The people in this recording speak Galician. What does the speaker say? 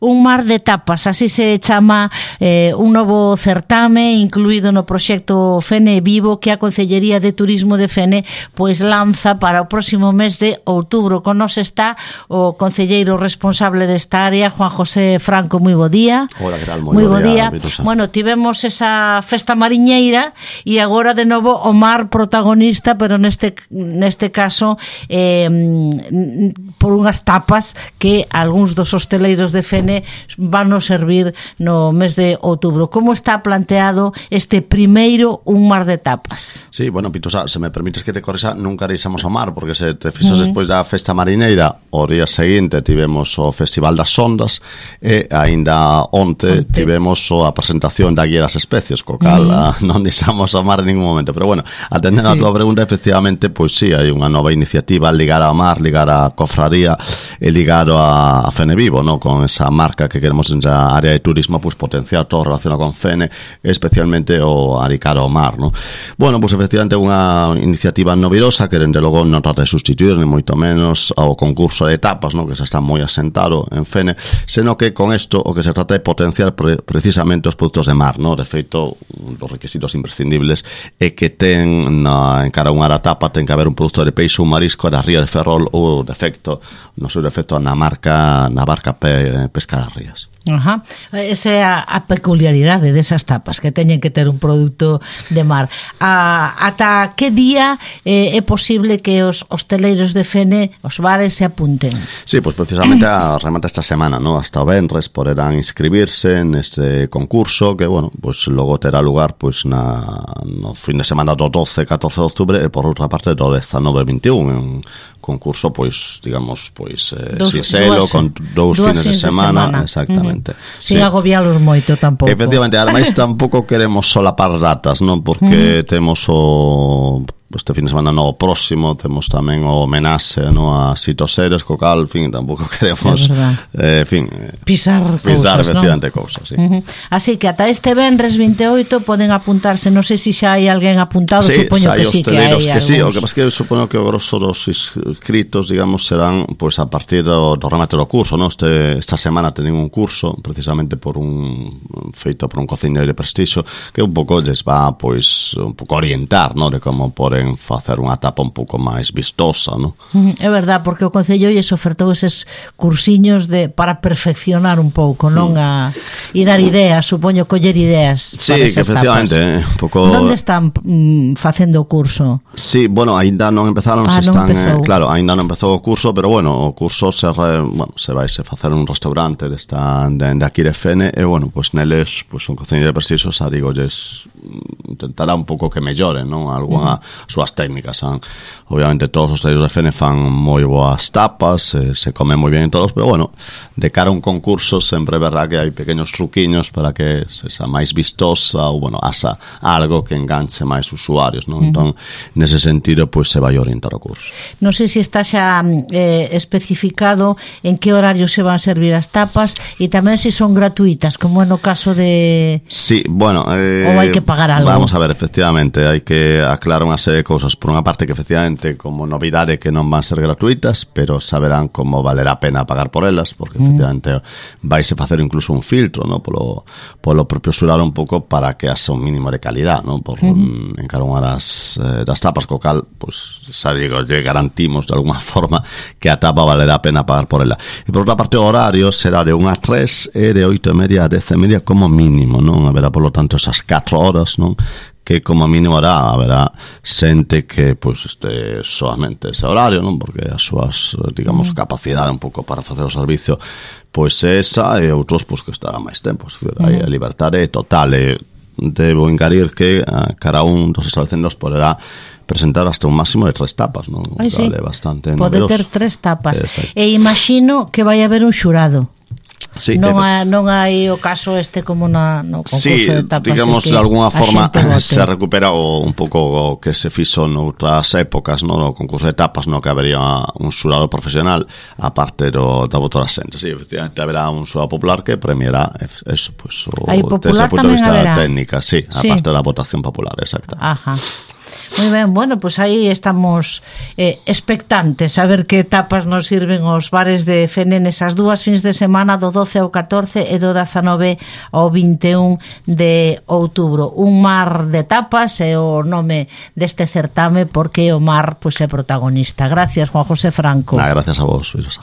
Un mar de tapas, así se chama un novo certame incluído no proxecto Fene Vivo que a Concellería de Turismo de Fene pois lanza para o próximo mes de outubro. Con nos está o concelleiro responsable desta área, Juan José Franco. Moi bo día. Hola, que tal? Moi bo día. Bueno, tivemos esa festa mariñeira e agora de novo o mar protagonista, pero neste caso por unhas tapas que algúns dos hosteleiros de Fene van a servir no mes de outubro. Como está planteado este primeiro un mar de tapas? Sí, bueno, Pitosa, se me permites que te corresa, nunca deixamos o mar, porque se te fixas despois da festa marineira, o día seguinte tivemos o Festival das Ondas e aínda onte tivemos a presentación da Guía das Especies, co cal non deixamos o mar en ningún momento. Pero bueno, atendendo a tua pregunta, efectivamente, pois sí, hai unha nova iniciativa ligada ao mar, ligada á cofradía e ligado a Fene Vivo, ¿no? Con esa marca que queremos en a área de turismo, pues potenciar todo relacionado con Fene, especialmente o aricar ao mar, ¿no? Bueno, pues efectivamente unha iniciativa novidosa que dende logo non trata de sustituir ni moito menos ao concurso de tapas, ¿no? Que se está moi asentado en Fene, senón que con isto o que se trata de potenciar precisamente os produtos de mar, ¿no? De feito, os requisitos imprescindibles é que ten en cara unha tapa ten que haber un produto de peixe ou marisco da ría de Ferrol ou defecto, no seu defecto na barca pesca das rías. Ajá. Esa é a peculiaridade desas tapas, que teñen que ter un produto de mar. Ata que día é posible que os hosteleiros de Fene, os bares, se apunten? Sí, pues precisamente remata esta semana, ¿no? Hasta o venres poderán inscribirse neste concurso que, bueno, pues logo terá lugar pues no fin de semana do 12 e 14 de outubro e por outra parte do 19 e 21, un concurso, pois, digamos, pois sincero, con dous fines de semana. Exactamente. Sin agobialos moito tampouco. Efectivamente, ademais tampouco queremos solapar datas, non? Porque temos este fin de semana no próximo temos tamén o homenaxe, no, a Sito Seres, co cal, en fin, tampouco queremos pisar efectivamente, ¿no? Cousas, sí. Así que ata este venres 28 poden apuntarse, non sei se xa hai alguén apuntado, sí, supoño que sí que hai que sí, o que pasa que supoño que o grosso dos inscritos, digamos, serán pues a partir do remate do curso, ¿no? Esta semana teñen un curso precisamente feito por un cociñeiro de prestixio que un pouco lles va, pues, un pouco orientar, ¿no? De como poden facer unha tapa un pouco máis vistosa, ¿no? É verdad, porque o Concello lles ofertou eses cursiños para perfeccionar un pouco, non? E dar ideas, supoño, coller ideas para esas tapas. Sí, efectivamente, un pouco... Onde están facendo o curso? Sí, bueno, aínda non empezaron, claro, aínda non empezou o curso, pero bueno, o curso se vaise facer un restaurante de aquí de Fene e, bueno, pues neles, pues un cociñeiro de prestixio, xa digo, intentará un pouco que melloren, non? Algunha súas técnicas. Obviamente todos os hosteleiros de Fene fan moi boas tapas, se come moi bien en todos, pero bueno, de cara a un concurso sempre é verdad que hai pequenos truquiños para que sexa máis vistosa ou, bueno, asa algo que enganche máis usuarios, non? Entón, nese sentido, pois se vai orientar o curso. Non sei se está xa especificado en que horario se van a servir as tapas e tamén se son gratuitas, como no caso de... Sí, bueno... ou hai que pagar algo? Vamos a ver, efectivamente, hai que aclarar unha serie de cousas. Por unha parte que efectivamente como novidade que non van ser gratuitas, pero saberán como valerá a pena pagar por elas, porque efectivamente vaise facer incluso un filtro, ¿no? Polo propio xurado un pouco para que haxa un mínimo de calidad, ¿no? Por en cada unha das tapas, co cal, pues, xa digo, lle garantimos de alguna forma que a tapa valerá a pena pagar por ela. E por outra parte o horario será de 1 a 3 e de 8:30 a 10:30 como mínimo, non? Haberá, por lo tanto, esas 4 horas, non? Que como mínimo haberá xente que pues este solamente ese horario, non? Porque as súas, digamos, capacidade un pouco para facer o servicio pois esa, e outros pues que estará máis tempo, hai a liberdade total. Debo engadir que cada un dos establecementos poderá presentar hasta un máximo de 3 tapas, non? Sí. Bastante pode ter 3 tapas. Exacto. E imagino que vai haber un xurado. Sí, non hai o caso como no concurso de tapas. Sí, digamos, de alguna forma se recupera un pouco o que se fixo noutras épocas, no concurso de tapas, no que habería un xurado profesional a parte da votora xente. Sí, efectivamente, haberá un xurado popular que premiará eso, pues, desde o punto de vista técnica, sí, a parte da votación popular, exacta. Ajá. Moi ben, bueno, pues aí estamos expectantes a ver que tapas nos sirven os bares de Fenen esas dúas fins de semana do 12 ao 14 e do 19 ao 21 de outubro. Un mar de tapas é o nome deste certame porque o mar pois é protagonista. Gracias, Juan José Franco. Gracias a vos, Virosa.